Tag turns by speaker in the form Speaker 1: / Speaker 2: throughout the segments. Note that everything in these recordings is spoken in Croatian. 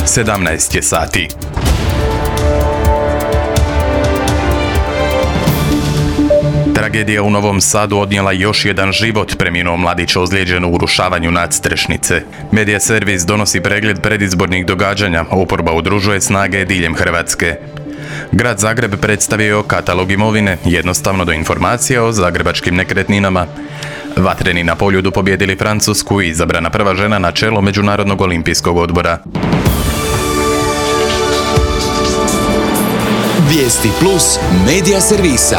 Speaker 1: 17 je sati. Tragedija u Novom Sadu odnijela još jedan život, preminuo mladić ozlijeđen u urušavanju nadstrešnice. Medija servis donosi pregled predizbornih događanja, oporba udružuje snage diljem Hrvatske. Grad Zagreb predstavio katalog imovine, jednostavno do informacija o zagrebačkim nekretninama. Vatreni na Poljudu pobijedili Francusku i izabrana prva žena na čelo Međunarodnog olimpijskog odbora.
Speaker 2: Vijesti plus medija servisa.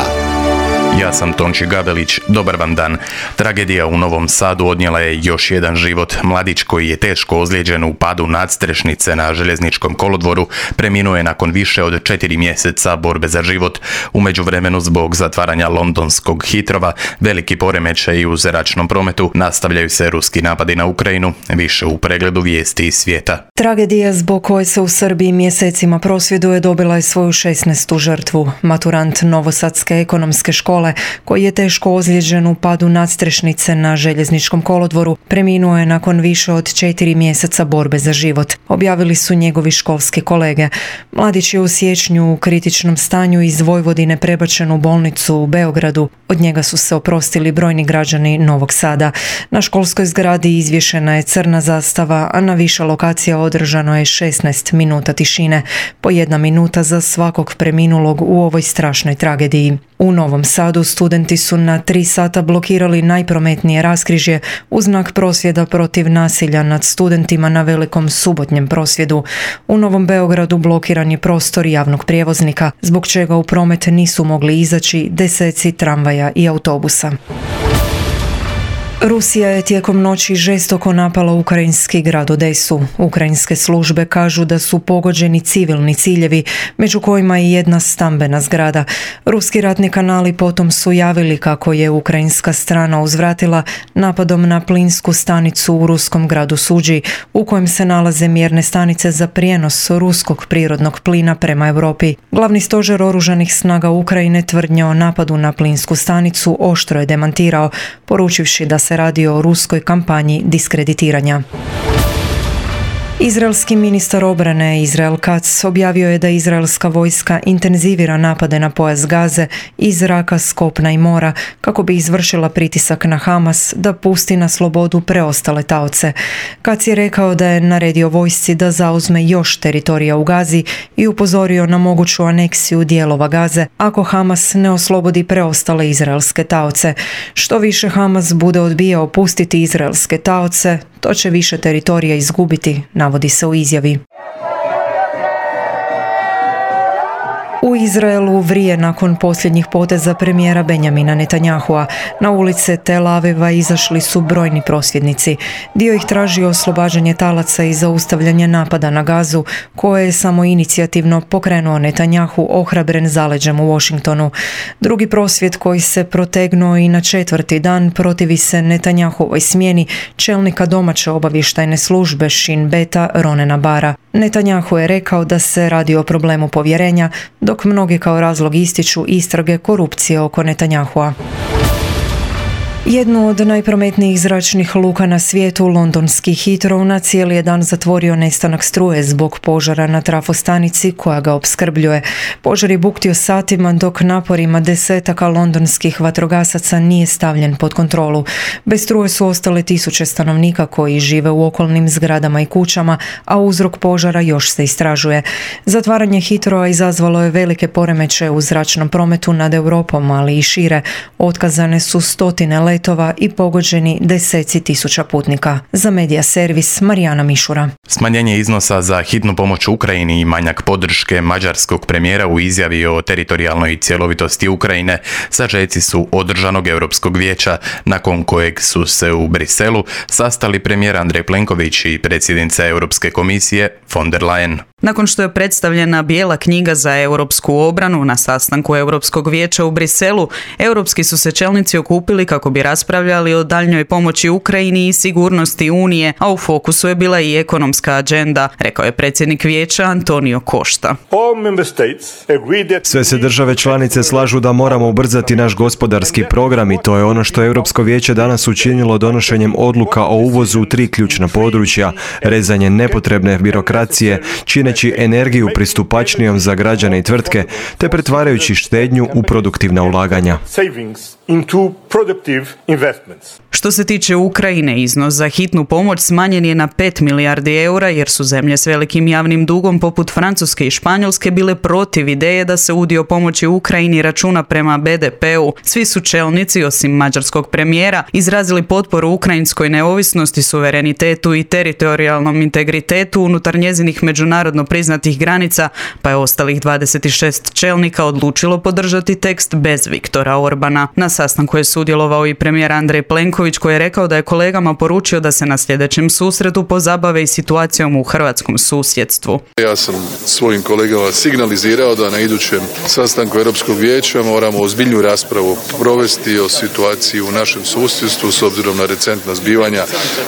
Speaker 1: Ja sam Tonči Gabelić, dobar vam dan. Tragedija u Novom Sadu odnijela je još jedan život. Mladić koji je teško ozlijeđen u padu nadstrešnice na željezničkom kolodvoru preminuo je nakon više od 4 mjeseca borbe za život. U međuvremenu zbog zatvaranja londonskog Hitrova, veliki poremećaj u zračnom prometu, nastavljaju se ruski napadi na Ukrajinu, više u pregledu vijesti iz svijeta.
Speaker 3: Tragedija zbog koje se u Srbiji mjesecima prosvjeduje dobila je svoju 16. žrtvu. Maturant Novosadske ekonomske škole koji je teško ozlijeđen u padu nadstrešnice na željezničkom kolodvoru preminuo je nakon više od 4 mjeseca borbe za život, objavili su njegovi školski kolege. Mladić je u siječnju u kritičnom stanju iz Vojvodine prebačen u bolnicu u Beogradu. Od njega su se oprostili brojni građani Novog Sada. Na školskoj zgradi izvješena je crna zastava, a na više lokacija održano je 16 minuta tišine, po 1 minuta za svakog preminulog u ovoj strašnoj tragediji. U Novom Sadu studenti su na 3 sata blokirali najprometnije raskrižje u znak prosvjeda protiv nasilja nad studentima na velikom subotnjem prosvjedu. U Novom Beogradu blokiran je prostor javnog prijevoznika, zbog čega u promet nisu mogli izaći deseci tramvaja i autobusa. Rusija je tijekom noći žestoko napala ukrajinski grad Odesu. Ukrajinske službe kažu da su pogođeni civilni ciljevi, među kojima i jedna stambena zgrada. Ruski ratni kanali potom su javili kako je ukrajinska strana uzvratila napadom na plinsku stanicu u ruskom gradu Suđi, u kojem se nalaze mjerne stanice za prijenos ruskog prirodnog plina prema Europi. Glavni stožer oružanih snaga Ukrajine tvrdnje o napadu na plinsku stanicu oštro je demantirao, poručivši da se radi o ruskoj kampanji diskreditiranja. Izraelski ministar obrane Israel Katz objavio je da izraelska vojska intenzivira napade na pojas Gaze iz zraka, s kopna i mora kako bi izvršila pritisak na Hamas da pusti na slobodu preostale taoce. Katz je rekao da je naredio vojsci da zauzme još teritorija u Gazi i upozorio na moguću aneksiju dijelova Gaze ako Hamas ne oslobodi preostale izraelske taoce. Što više Hamas bude odbijao pustiti izraelske taoce, to će više teritorija izgubiti, navodi se u izjavi. U Izraelu vrije nakon posljednjih poteza premijera Benjamina Netanyahua. Na ulice Tel Aviva izašli su brojni prosvjednici. Dio ih traži oslobađanje talaca i zaustavljanje napada na Gazu, koje je samoinicijativno pokrenuo Netanyahu ohrabren zaleđem u Washingtonu. Drugi prosvjed koji se protegnuo i na 4. dan protivi se Netanyahuovoj smjeni čelnika domaće obavještajne službe Shin Beta Ronena Bara. Netanyahu je rekao da se radi o problemu povjerenja, dok mnogi kao razlog ističu istrage korupcije oko Netanyahua. Jednu od najprometnijih zračnih luka na svijetu, londonski Hitrov, na cijeli je dan zatvorio nestanak struje zbog požara na trafostanici koja ga opskrbljuje. Požar je buktio satima dok naporima desetaka londonskih vatrogasaca nije stavljen pod kontrolu. Bez struje su ostale tisuće stanovnika koji žive u okolnim zgradama i kućama, a uzrok požara još se istražuje. Zatvaranje Hitrova izazvalo je velike poremećaje u zračnom prometu nad Europom, ali i šire. Otkazane su stotine letova i pogođeni deseci tisuća putnika. Za medija servis Marijana Mišura.
Speaker 1: Smanjenje iznosa za hitnu pomoć Ukrajini i manjak podrške mađarskog premijera u izjavi o teritorijalnoj cjelovitosti Ukrajine sažeci su održanog Europskog vijeća, nakon kojeg su se u Briselu sastali premijer Andrej Plenković i predsjednica Europske komisije von der Leyen.
Speaker 4: Nakon što je predstavljena bijela knjiga za europsku obranu na sastanku Europskog vijeća u Briselu, europski su se čelnici okupili kako bi raspravljali o daljnjoj pomoći Ukrajini i sigurnosti Unije, a u fokusu je bila i ekonomska agenda, rekao je predsjednik vijeća Antonio Costa.
Speaker 5: Sve se države članice slažu da moramo ubrzati naš gospodarski program i to je ono što je Europsko vijeće danas učinilo donošenjem odluka o uvozu u 3 ključna područja: rezanje nepotrebne birokracije, čineći energiju pristupačnijom za građane i tvrtke, te pretvarajući štednju u produktivna ulaganja.
Speaker 4: Što se tiče Ukrajine, iznos za hitnu pomoć smanjen je na 5 milijardi eura jer su zemlje s velikim javnim dugom poput Francuske i Španjolske bile protiv ideje da se udio pomoći Ukrajini računa prema BDP-u. Svi su čelnici, osim mađarskog premijera, izrazili potporu ukrajinskoj neovisnosti, suverenitetu i teritorijalnom integritetu unutar njezinih međunarodno priznatih granica, pa je ostalih 26 čelnika odlučilo podržati tekst bez Viktora Orbana. Na sastanku je sudjelovao i premijer Andrej Plenković, koji je rekao da je kolegama poručio da se na sljedećem susretu pozabave i situacijom u hrvatskom susjedstvu.
Speaker 6: Ja sam svojim kolegama signalizirao da na idućem sastanku Europskog vijeća moramo ozbiljnu raspravu provesti o situaciji u našem susjedstvu s obzirom na recentna zbivanja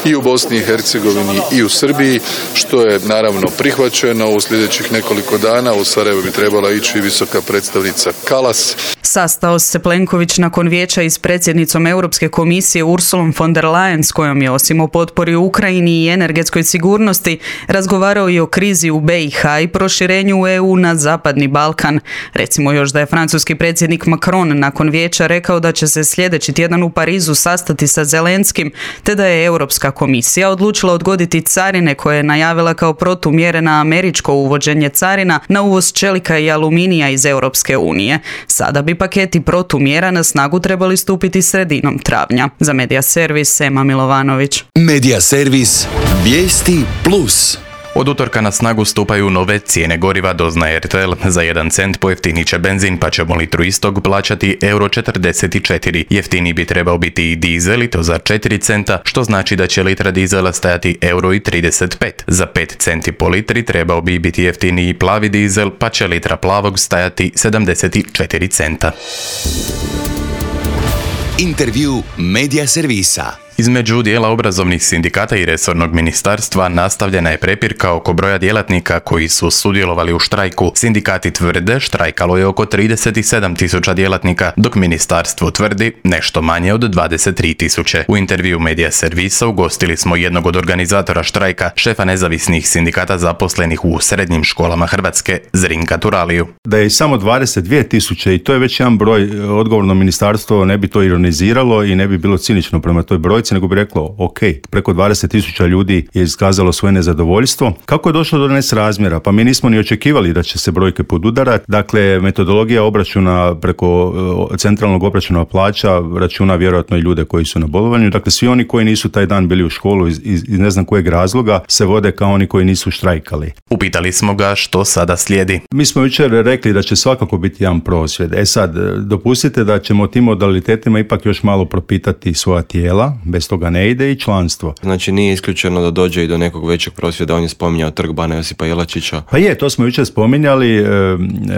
Speaker 6: i u Bosni i Hercegovini i u Srbiji, što je naravno prihvaćeno. U sljedećih nekoliko dana u Sarajevo bi trebala ići visoka predstavnica Kallas.
Speaker 4: Sastao se Plenković nakon vijeća i s predsjednicom Europske komisije Ursulom von der Leyen, s kojom je osim o potpori Ukrajini i energetskoj sigurnosti razgovarao i o krizi u BiH i proširenju EU na Zapadni Balkan. Recimo još da je francuski predsjednik Macron nakon vijeća rekao da će se sljedeći tjedan u Parizu sastati sa Zelenskim, te da je Europska komisija odlučila odgoditi carine koje je najavila kao protumjere na američko uvođenje carina na uvoz čelika i aluminija iz Europske unije. Sada bi paketi protumjera na snagu trebali stupiti sredinom travnja. Za Medija Servis, Ema Milovanović.
Speaker 2: Medija Servis, vijesti plus.
Speaker 1: Od utorka na snagu stupaju nove cijene goriva, doznaje RTL. Za 1 cent pojeftinit će benzin, pa ćemo litru istog plaćati €44. Jeftiniji bi trebao biti i dizel, i to za 4 centa, što znači da će litra dizela stajati €35. Za 5 centi po litri trebao bi biti jeftiniji plavi dizel, pa će litra plavog stajati 74 centa.
Speaker 2: Intervju Medija Servisa.
Speaker 1: Između dijela obrazovnih sindikata i resornog ministarstva nastavljena je prepirka oko broja djelatnika koji su sudjelovali u štrajku. Sindikati tvrde štrajkalo je oko 37.000 djelatnika, dok ministarstvo tvrdi nešto manje od 23.000. U intervju Medija Servisa ugostili smo jednog od organizatora štrajka, šefa nezavisnih sindikata zaposlenih u srednjim školama Hrvatske, Zrinka Turaliju.
Speaker 7: Da je samo 22.000 i to je već jedan broj, odgovorno ministarstvo ne bi to ironiziralo i ne bi bilo cinično prema toj brojci, nego bi reklo, ok, preko 20.000 ljudi je iskazalo svoje nezadovoljstvo. Kako je došlo do nesrazmjera? Pa mi nismo ni očekivali da će se brojke podudarati. Dakle, metodologija obračuna preko centralnog obračuna plaća računa vjerojatno i ljude koji su na bolovanju. Dakle, svi oni koji nisu taj dan bili u školu iz ne znam kojeg razloga se vode kao oni koji nisu štrajkali.
Speaker 1: Upitali smo ga što sada slijedi.
Speaker 7: Mi smo jučer rekli da će svakako biti jedan prosvjed. Sad, dopustite da ćemo tim modalitetima ipak još malo propitati svoja tijela, bez toga ne ide i članstvo.
Speaker 5: Znači nije isključeno da dođe i do nekog većeg prosvjeda, on je spominjao Trg bana Josipa Jelačića.
Speaker 7: Pa je, to smo jučer spominjali,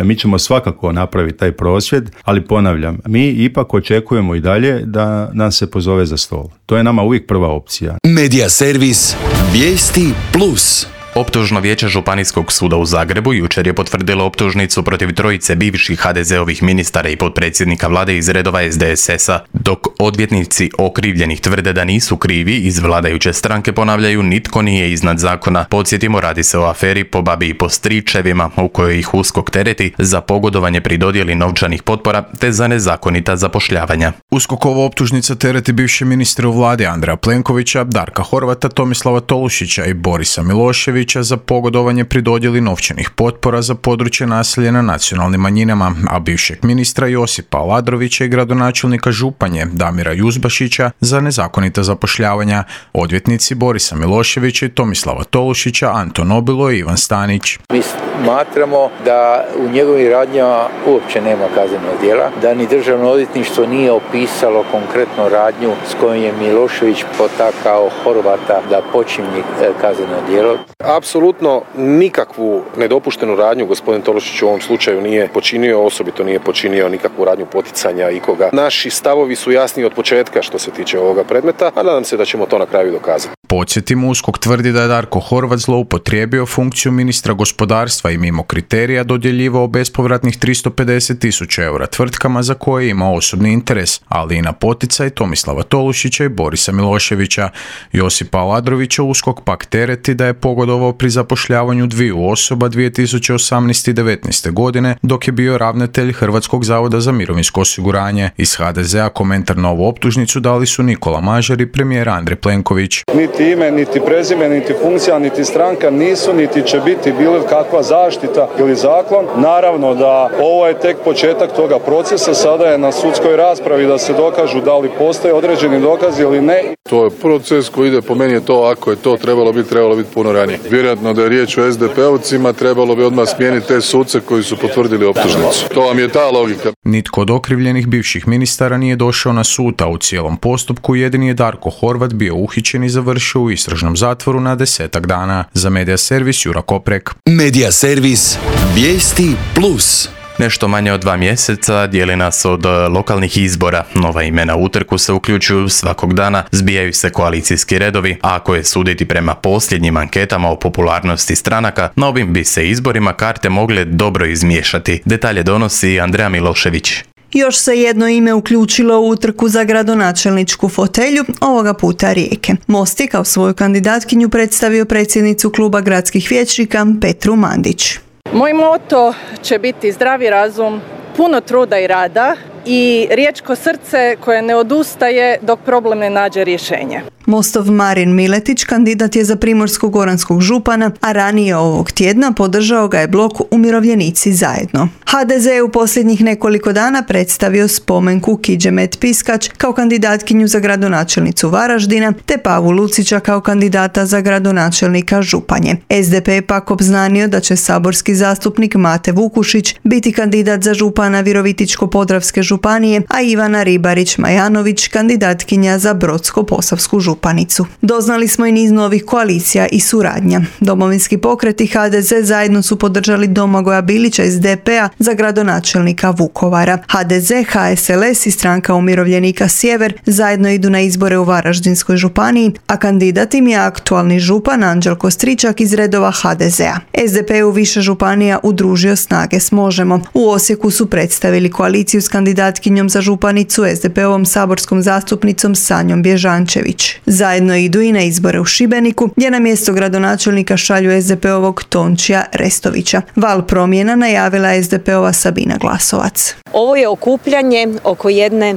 Speaker 7: mi ćemo svakako napraviti taj prosvjed, ali ponavljam, mi ipak očekujemo i dalje da nas se pozove za stol. To je nama uvijek prva opcija.
Speaker 2: Medija Servis, vijesti plus.
Speaker 1: Optužno vijeće Županijskog suda u Zagrebu jučer je potvrdilo optužnicu protiv trojice bivših HDZ-ovih ministara i potpredsjednika vlade iz redova SDSS-a, dok odvjetnici okrivljenih tvrde da nisu krivi, iz vladajuće stranke ponavljaju nitko nije iznad zakona. Podsjetimo, radi se o aferi po babi i po stričevima, u kojoj ih USKOK tereti za pogodovanje pri dodjeli novčanih potpora te za nezakonita zapošljavanja.
Speaker 8: USKOK-ova optužnica tereti bivše ministre u vladi Andreja Plenkovića, Darka Horvata, Tomislava Tolušića i Borisa Miloševića za pogodovanje pri dodjeli novčanih potpora za područje naseljena nacionalnim manjinama, a bivšeg ministra Josipa Aladrovića i gradonačelnika Županje Damira Juzbašića za nezakonita zapošljavanja. Odvjetnici Borisa Miloševića i Tomislava Tolušića, Anton Obilo i Ivan Stanić.
Speaker 9: Mi smatramo da u njegovim radnjama uopće nema kaznenog djela, da ni državno odvjetništvo nije opisalo konkretno radnju s kojom je Milošević potakao Horvata da počini kazneno djelo.
Speaker 10: Apsolutno nikakvu nedopuštenu radnju gospodin Tolušić u ovom slučaju nije počinio, osobito nije počinio nikakvu radnju poticanja ikoga. Naši stavovi su jasni od početka što se tiče ovoga predmeta, a nadam se da ćemo to na kraju dokazati.
Speaker 8: Podsjetimo, USKOK tvrdi da je Darko Horvat zloupotrijebio funkciju ministra gospodarstva i mimo kriterija dodjeljivao bespovratnih 350.000 eura tvrtkama za koje ima osobni interes, ali i na poticaj Tomislava Tolušića i Borisa Miloševića. Josipa Aladrovića USKOK pak tereti da je pogodovao pri zapošljavanju dviju osoba 2018. i 2019. godine dok je bio ravnatelj Hrvatskog zavoda za mirovinsko osiguranje. Iz HDZ-a komentar na ovu optužnicu dali su Nikola Mažar i premijer Andrej Plenković.
Speaker 11: Niti ime, niti prezime, niti funkcija, niti stranka nisu, niti će biti bilo kakva zaštita ili zaklon. Naravno da ovo je tek početak toga procesa, sada je na sudskoj raspravi da se dokažu da li postoje određeni dokazi ili ne.
Speaker 6: To je proces koji ide, po meni je to, ako je to trebalo biti puno ranije. Vjerojatno da je riječ o SDP-ovcima, trebalo bi odmah smijeniti te suce koji su potvrdili optužnicu. To vam je ta logika.
Speaker 8: Nitko od okrivljenih bivših ministara nije došao na sud, a u cijelom postupku jedini je Darko Horvat bio uhićen i završio u istražnom zatvoru na 10 dana. Za Medija servis Jura Koprek.
Speaker 2: Medija servis Vijesti Plus.
Speaker 1: Nešto manje od 2 mjeseca dijeli nas od lokalnih izbora. Nova imena u utrku se uključuju svakog dana, zbijaju se koalicijski redovi, a ako je suditi prema posljednjim anketama o popularnosti stranaka, na ovim bi se izborima karte mogle dobro izmiješati. Detalje donosi Andreja Milošević.
Speaker 12: Još se jedno ime uključilo u utrku za gradonačelničku fotelju, ovoga puta Rijeke. Most je kao svoju kandidatkinju predstavio predsjednicu kluba gradskih vijećnika Petru Mandić.
Speaker 13: Moj moto će biti zdravi razum, puno truda i rada i riječko srce koje ne odustaje dok problem ne nađe rješenje.
Speaker 12: Mostov Marin Miletić kandidat je za primorsko-goranskog župana, a ranije ovog tjedna podržao ga je blok Umirovljenici zajedno. HDZ je u posljednjih nekoliko dana predstavio spomenku Kidžemet Piskač kao kandidatkinju za gradonačelnicu Varaždina, te Pavu Lucića kao kandidata za gradonačelnika Županje. SDP je pak obznanio da će saborski zastupnik Mate Vukušić biti kandidat za župana Virovitičko-podravske županije, a Ivana Ribarić-Majanović kandidatkinja za Brodsko-posavsku županicu. Doznali smo i niz novih koalicija i suradnja. Domovinski pokret i HDZ zajedno su podržali Domagoja Bilića iz DP-a za gradonačelnika Vukovara. HDZ, HSLS i stranka umirovljenika Sjever zajedno idu na izbore u Varaždinskoj županiji, a kandidat im je aktualni župan Anđelko Stričak iz redova HDZ-a. SDP je u više županija udružio snage s Možemo. U Osijeku su predstavili koaliciju s kandidatkinjom za županicu SDP-ovom saborskom zastupnicom Sanjom Bježančević. Zajedno idu i na izbore u Šibeniku, gdje na mjesto gradonačelnika šalju SDP-ovog Tončija Restovića. Val promjena najavila SDP-ova Sabina Glasovac.
Speaker 14: Ovo je okupljanje oko jedne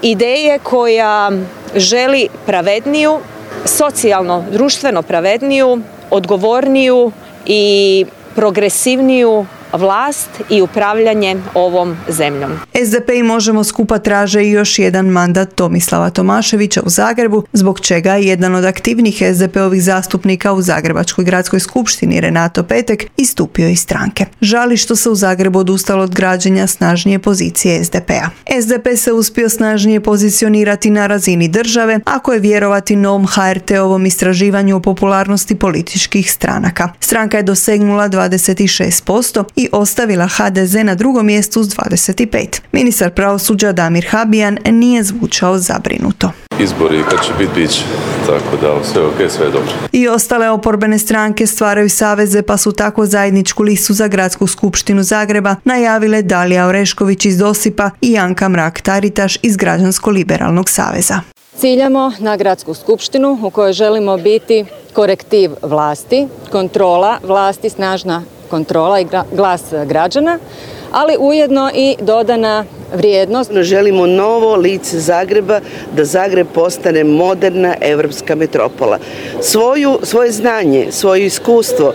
Speaker 14: ideje koja želi pravedniju, socijalno, društveno pravedniju, odgovorniju i progresivniju vlast i upravljanje ovom zemljom.
Speaker 12: SDP i Možemo skupa traže i još jedan mandat Tomislava Tomaševića u Zagrebu, zbog čega je jedan od aktivnih SDP-ovih zastupnika u Zagrebačkoj gradskoj skupštini Renato Petek istupio iz stranke. Žali što se u Zagrebu odustalo od građenja snažnije pozicije SDP-a. SDP se uspio snažnije pozicionirati na razini države, ako je vjerovati novom HRT-ovom istraživanju o popularnosti političkih stranaka. Stranka je dosegnula 26% i ostavila HDZ na drugom mjestu s 25. Ministar pravosuđa Damir Habijan nije zvučao zabrinuto.
Speaker 15: Izbori kad će biti, bit će. Tako da sve ok, sve je dobro.
Speaker 12: I ostale oporbene stranke stvaraju saveze, pa su tako zajedničku listu za gradsku skupštinu Zagreba najavile Dalija Orešković iz Dosipa i Janka Mrak-Taritaš iz Građansko-liberalnog saveza.
Speaker 14: Ciljamo na gradsku skupštinu u kojoj želimo biti korektiv vlasti, kontrola vlasti, snažna kontrola i glas građana, ali ujedno i dodana vrijednost.
Speaker 16: Želimo novo lice Zagreba, da Zagreb postane moderna europska metropola. Svoje znanje, svoje iskustvo,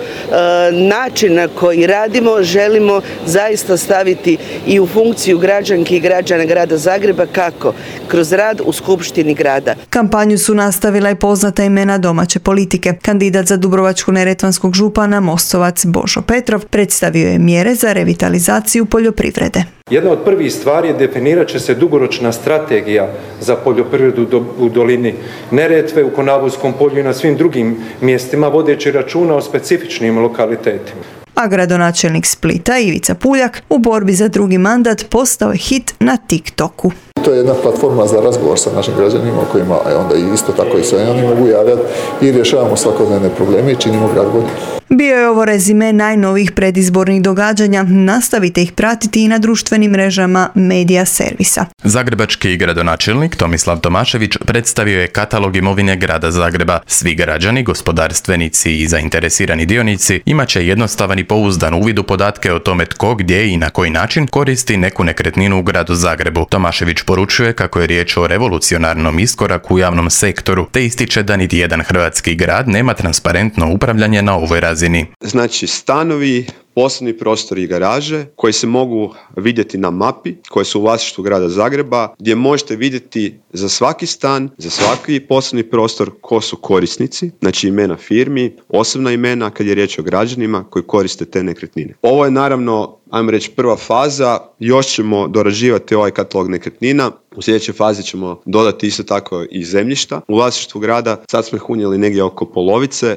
Speaker 16: način na koji radimo želimo zaista staviti i u funkciju građanki i građana grada Zagreba. Kako? Kroz rad u skupštini grada.
Speaker 12: Kampanju su nastavila i poznata imena domaće politike. Kandidat za Dubrovačko-neretvanskog župana Mostovac Božo Petrov predstavio je mjere za revitalizaciju poljoprivrede.
Speaker 17: Jedna od prvih stvari je definirat će se dugoročna strategija za poljoprivredu u dolini Neretve, u Konavovskom polju i na svim drugim mjestima, vodeći računa o specifičnim lokalitetima.
Speaker 12: A gradonačelnik Splita Ivica Puljak u borbi za drugi mandat postao je hit na TikToku.
Speaker 18: To je jedna platforma za razgovor sa našim građanima kojima onda isto tako i sve oni mogu javljati i rješavamo svakodnevne probleme i činimo grad bolji.
Speaker 12: Bio je ovo rezime najnovijih predizbornih događanja. Nastavite ih pratiti i na društvenim mrežama Medija servisa.
Speaker 1: Zagrebački gradonačelnik Tomislav Tomašević predstavio je katalog imovine grada Zagreba. Svi građani, gospodarstvenici i zainteresirani dionici imat će jednostavan i pouzdan uvid u podatke o tome tko, gdje i na koji način koristi neku nekretninu u gradu Zagrebu. Tomašević poručuje kako je riječ o revolucionarnom iskoraku u javnom sektoru, te ističe da niti jedan hrvatski grad nema transparentno upravljanje na ovoj razini.
Speaker 19: Znači stanovi, poslovni prostori i garaže koji se mogu vidjeti na mapi, koje su u vlasništvu grada Zagreba, gdje možete vidjeti za svaki stan, za svaki poslovni prostor ko su korisnici, znači imena firmi, osobna imena kad je riječ o građanima koji koriste te nekretnine. Ovo je naravno, ajmo reći, prva faza, još ćemo dorađivati ovaj katalog nekretnina. U sljedećoj fazi ćemo dodati isto tako i zemljišta u vlasništvu grada. Sad smo ih unijeli negdje oko polovice.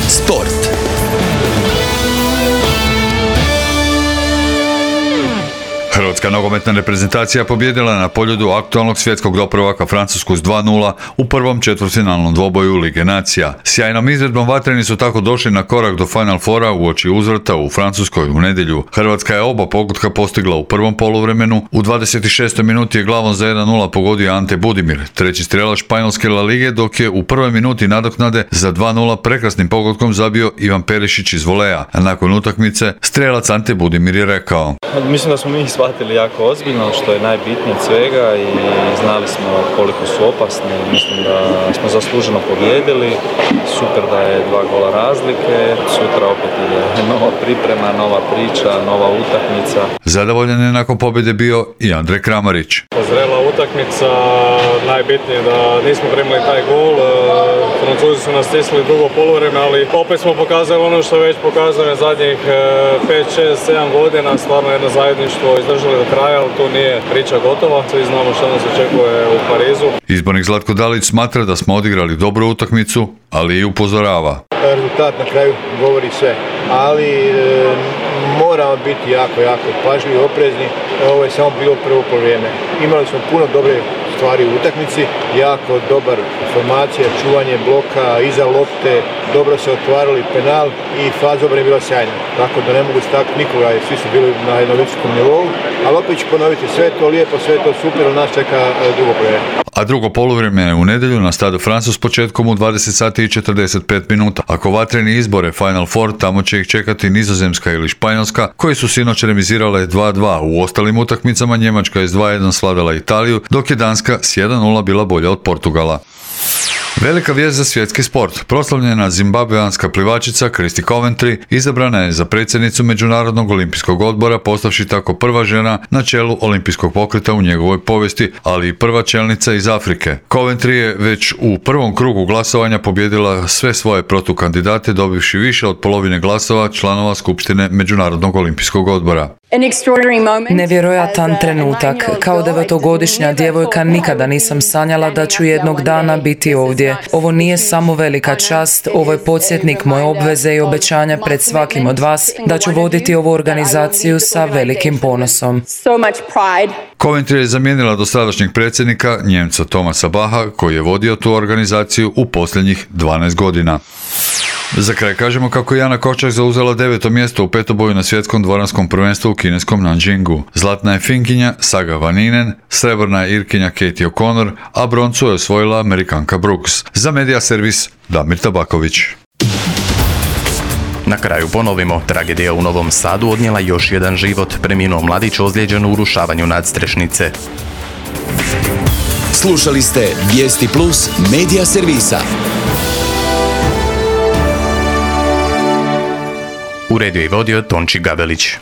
Speaker 2: Sport.
Speaker 20: Hrvatska nogometna reprezentacija pobijedila je na Poljudu aktualnog svjetskog doprvaka Francusku s 2:0 u prvom četvrtfinalnom dvoboju Lige nacija. Sjajnom izvedbom vatreni su tako došli na korak do Final Fora uoči uzvrata u Francuskoj u nedjelju. Hrvatska je oba pogotka postigla u prvom poluvremenu. U 26. minuti je glavom za 1:0 pogodio Ante Budimir, treći strelac španjolske La Lige, dok je u prvoj minuti nadoknade za 2:0 prekrasnim pogodkom zabio Ivan Perišić iz voleja. A nakon utakmice strelac Ante Budimir je rekao:
Speaker 21: Mislim da smo mi shvatili jako ozbiljno, što je najbitnije od svega, i znali smo koliko su opasni. Mislim da smo zasluženo pobijedili. Super da je 2 gola razlike. Sutra opet ide nova priprema, nova priča, nova utakmica.
Speaker 20: Zadovoljan je nakon pobjede bio i Andrej Kramarić.
Speaker 22: Zrela utakmica, najbitnije da nismo primili taj gol. Francuzi su nas stisli drugo poluvreme, ali opet smo pokazali ono što već pokazuje zadnjih 5, 6, 7 godina. Stvarno jedno zajedništvo, izdržali do kraja, ali tu nije priča gotova. Svi znamo što nas očekuje u Parizu.
Speaker 20: Izbornik Zlatko Dalić smatra da smo odigrali dobru utakmicu, ali i upozorava.
Speaker 23: Rezultat na kraju govori sve, ali moramo biti jako pažljivi, oprezni. Ovo je samo bilo prvo poluvreme. Imali smo puno dobre stvari u utakmici, jako dobar formacija, čuvanje bloka, iza lopte, dobro se otvarali penal i faza obrane je bila sjajna. Tako da ne mogu staknuti nikoga, svi su bili na jednom visokom nivou, ali opet ću ponoviti, sve to lijepo, sve to super, ali nas čeka drugo poluvreme.
Speaker 20: A drugo poluvrijeme je u nedjelju na Stade France s početkom u 20 sati i 45 minuta. Ako vatreni izbore Final Four, tamo će ih čekati Nizozemska ili Španjolska, koji su sinoć remizirale 2:2. U ostalim utakmicama Njemačka je s 2:1 slavila Italiju, dok je Danska s 1:0 bila bolja od Portugala. Velika vijest za svjetski sport. Proslavljena zimbabveanska plivačica Christy Coventry izabrana je za predsjednicu Međunarodnog olimpijskog odbora, postavši tako prva žena na čelu olimpijskog pokreta u njegovoj povijesti, ali i prva čelnica iz Afrike. Coventry je već u prvom krugu glasovanja pobjedila sve svoje protukandidate, dobivši više od polovine glasova članova Skupštine Međunarodnog olimpijskog odbora.
Speaker 24: Nevjerojatan trenutak. Kao 9-godišnja djevojka nikada nisam sanjala da ću jednog dana biti ovdje. Ovo nije samo velika čast, ovo je podsjetnik moje obveze i obećanja pred svakim od vas da ću voditi ovu organizaciju sa velikim ponosom.
Speaker 20: Coventry je zamijenila dosadašnjeg predsjednika, Njemca Thomasa Bacha, koji je vodio tu organizaciju u posljednjih 12 godina. Za kraj kažemo kako je Jana Kočak zauzela 9. mjesto u petoboju na svjetskom dvoranskom prvenstvu u kineskom Nanjingu. Zlatna je Finkinja Saga Vaninen, srebrna je Irkinja Katie O'Connor, a broncu je osvojila Amerikanka Brooks. Za Medija servis Damir Tabaković.
Speaker 1: Na kraju ponovimo, tragedija u Novom Sadu odnijela još jedan život, preminuo mladić ozlijeđen u urušavanju nadstrešnice.
Speaker 2: Slušali ste Vijesti Plus Medija servisa.
Speaker 1: Uredio i vodio Tonči Gavelić.